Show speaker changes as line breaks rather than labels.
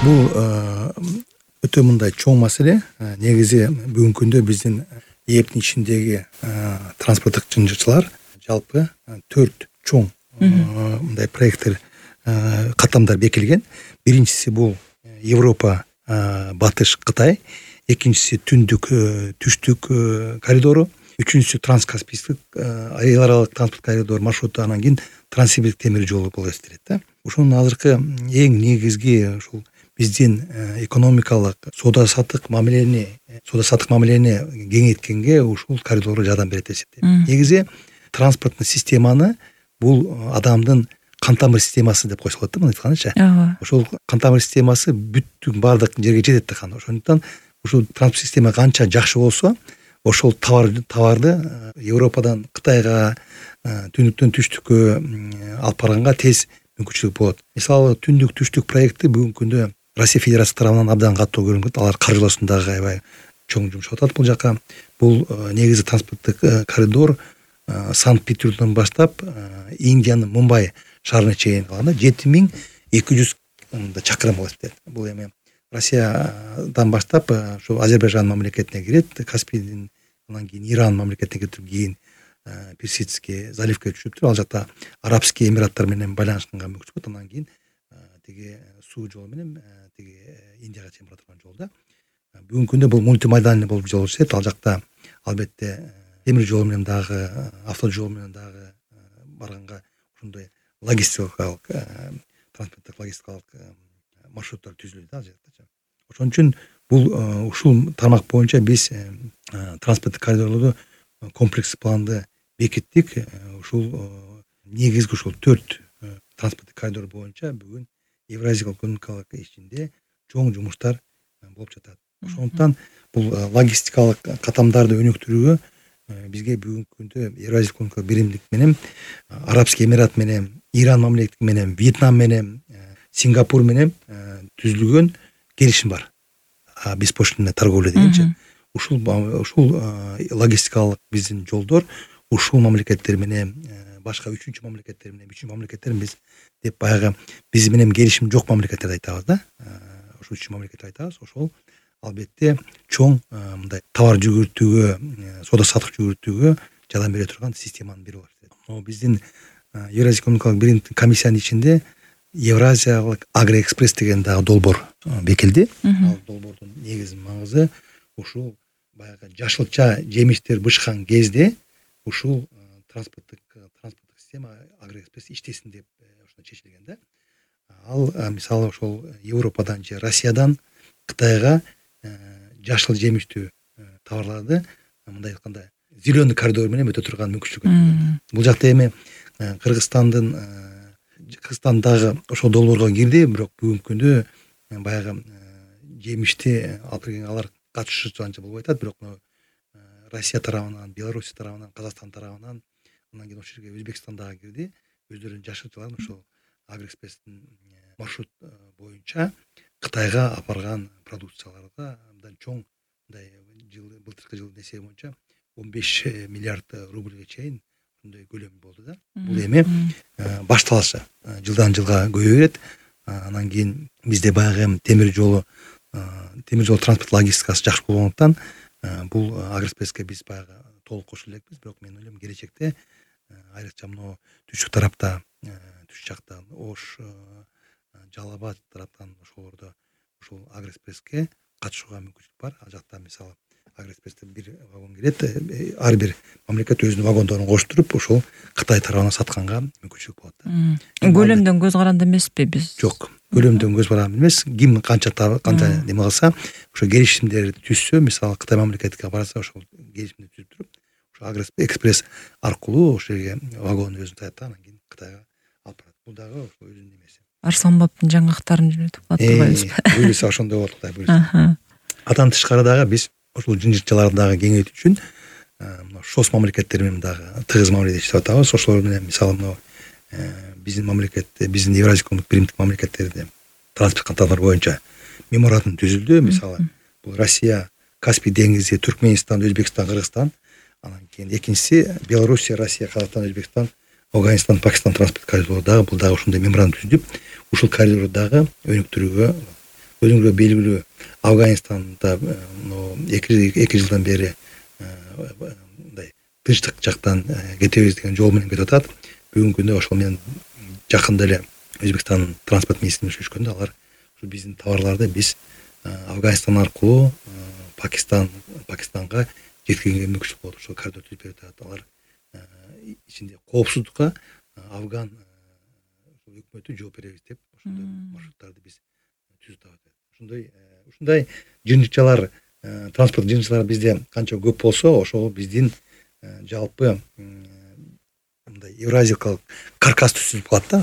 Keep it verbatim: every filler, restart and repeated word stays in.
Бул өтө мындай чоң маселе. Негизи бүгүнкү күндө биздин ээптин ичиндеги транспорттук жынжырчылар жалпы төрт чоң мындай проекттер каттамдар бекилген. Биринчиси бул Европа, батыш Кытай, экинчиси түндүк түштүк коридору, үчүнчүсү транскаспийский эл аралык транспорт коридор маршруту, анан кийин транссибирск темир жолу болуп эсептелет да. Ошонун азыркы эң негизги ушул биздин экономикалык соода саттык мамилени соода саттык мамилени кеңейткенге ушул коридор жардам берет деп эсептейм. Негизи транспорттук системаны бул адамдын кан тамыр системасы деп койсо болот да, мындай айткандачы. Ошол кан тамыр системасы бүттүк баардык жерге жетет да кан. Ошондуктан ушул транспорт система канча жакшы болсо, ошол товар товарды Европадан Кытайга, түндүктөн түштүккө алып барганга тез мүмкүнчүлүк болот. Мисалы түндүк түштүк проекти бүгүнкү күндө Россия Федерациясы тарабынан абдан катуу көрүнөт. Алар каржылоосундагы аябай чоң жумуш атат бул жака. Бул негизи транспорттук коридор Санкт-Петербургдон баштап Индиянын Мумбай шаарына чейин калганда жети миң эки жүз чакырым болот дейт. Бул эми Россиядан баштап ошо Азербайжан мамлекетине кирет, Каспийдин, анан кийин Иран мамлекетине кетип, кийин Персидский заливке түшүп туруп, ал жакта Арабский Эмираттар менен байланышканга мүмкүнчүлүк болот. Анан кийин тиги суу жолу менен тиги Индияга чейин бара турган жол да. Бүгүнкү күндө бул мультимодальный болуп жол иштейт. Ал жакта албетте темир жол менен дагы, автожол менен дагы барганга ушундай логистикалык транспорттук логистикалык маршруттар түзүлөт да ал жакта. Ошон үчүн бул ушул тармак боюнча биз транспорттук коридорлорду комплекс планды бекиттик. Ушул негизги ушул төрт транспорттук коридор боюнча бүгүн Евразиялык экономикалык ичинде чоң жумуштар болуп жатат. Ошондуктан бул логистикалык катамдарды өнүктүрүүгө бизге бүгүнкү күндө Евразиялык экономикалык биримдик менен Арабский Эмират менен, Иран мамлекети менен, Вьетнам менен, Сингапур менен түзүлгөн келишим бар. Беспошлинный торговля дегенчи. Ушул ушул логистикалык биздин жолдор ушул мамлекеттер менен, башка үчүнчү мамлекеттер менен, үчүнчү мамлекеттер биз деп баягы биз менен келишим жок мамлекеттерди айтабыз да. Ошол үчүнчү мамлекетти айтабыз. Ошол албетте чоң мындай товар жүгүртүүгө, соода саттык жүгүртүүгө жардам бере турган системанын бири болот. Могу биздин Евразиялык экономикалык биримдик комиссиянын ичинде Евразиялык агроэкспресс деген дагы долбоор бекилди. Ал долбоордун негизги маңызы ушул баягы жашылча жемиштер бышкан кезде ушул транспорттук транспорттук система агроэкспресс иштесин деп ошондой чечилген да. Ал мисалы ошол Европадан же Россиядан Кытайга жашыл жемиштүү товарларды мындай айтканда зеленый коридор менен өтө турган мүмкүнчүлүк берет. Бул жакта эми Кыргызстандын Кыргызстандагы ошол долбоорго кирди, бирок бүгүнкү күндө баягы жемишти алып келген алар катышуучу анча болбой атат, бирок Россия тарабынан, Беларусь тарабынан, Казакстан тарабынан, анан кийин ошол жерге Өзбекстан дагы кирди. Өздөрүнүн жашылчаларын ошол агроэкспресстин маршрут боюнча Кытайга алып барган продукцияларга абдан чоң мындай жыл былтыркы жылдын эсеби боюнча он беш миллиард рубльге чейин ушундай көлөм болду да. Бул эми башталышы. Жылдан жылга көбөйө берет. Анан кийин бизде баягы темир жолу темир жол транспорт логистикасы жакшы болгондуктан бул агроэкспресске биз баягы толук кошуло элекпиз, бирок мен ойлойм келечекте айрыкча мына түштүк тарапта, түш жактан Ош, Жалал Абад тараптан ошолордо ушул агроэкспресске катышууга мүмкүнчүлүк бар. Ал жакта мисалы агроэкспрессте бир вагон кирет, ар бир мамлекет өзүнүн вагондорун коштуруп ошол Кытай тарабына сатканга мүмкүнчүлүк болот да.
Көлөмдөн көз каранды эмеспи биз?
Жок, көлөмдөн көз каранды эмес. Ким канча канча неме кылса, ошо келишимдерди түзсө, мисалы Кытай мамлекетине барса, ошол келишимди түзүп туруп, ошо агроэкспресс аркылуу ошол жерге вагон өзүн таят, анан кийин Кытайга алып барат. Бул дагы ошо өзүнүн немеси.
Арсланбаптын жаңгактарын жөнөтүп калат турбайбызбы?
Буюрса ошондой болот Кудай буюрса. Андан тышкары дагы биз ошол жынжырчаларды дагы кеңейтүү үчүн мына шос мамлекеттер менен дагы тыгыз мамиледе иштеп атабыз. Ошолор менен мисалы мына биздин мамлекет, биздин Евразиялык экономикалык биримдик мамлекеттерде транспорт катарлар боюнча меморандум түзүлдү. Мисалы бул Россия, Каспий деңизи, Түркмөнстан, Өзбекстан, Кыргызстан, анан кийин экинчиси Белоруссия, Россия, Казакстан, Өзбекстан, Афганистан, Пакистан транспорт коридору дагы бул дагы ушундай меморандум түзүлүп, ушул коридорду дагы өнүктүрүүгө өзүңүзгө белгилүү Афганистанда эки эки жылдан бери мындай тынчтык жактан кетебиз деген жол менен кетип атат. Бүгүнкү күндө ошол менен жакында эле Өзбекстандын транспорт министри сүйлөшкөндө алар ушу биздин товарларды биз Афганистан аркылуу Пакистан Пакистанга жеткирүүгө мүмкүнчүлүк болот. Ошол коридор түзүп берип атат. Алар ичинде коопсуздукка Афган өкмөтү жооп беребиз деп ошондой маршруттарды биз түзүп атабыз. Ушундай ушундай жыйынтыкчалар, транспорт жыйынтыкчалары бизде канча көп болсо, ошол биздин жалпы мындай евразиялык каркас түзүлүп калат да.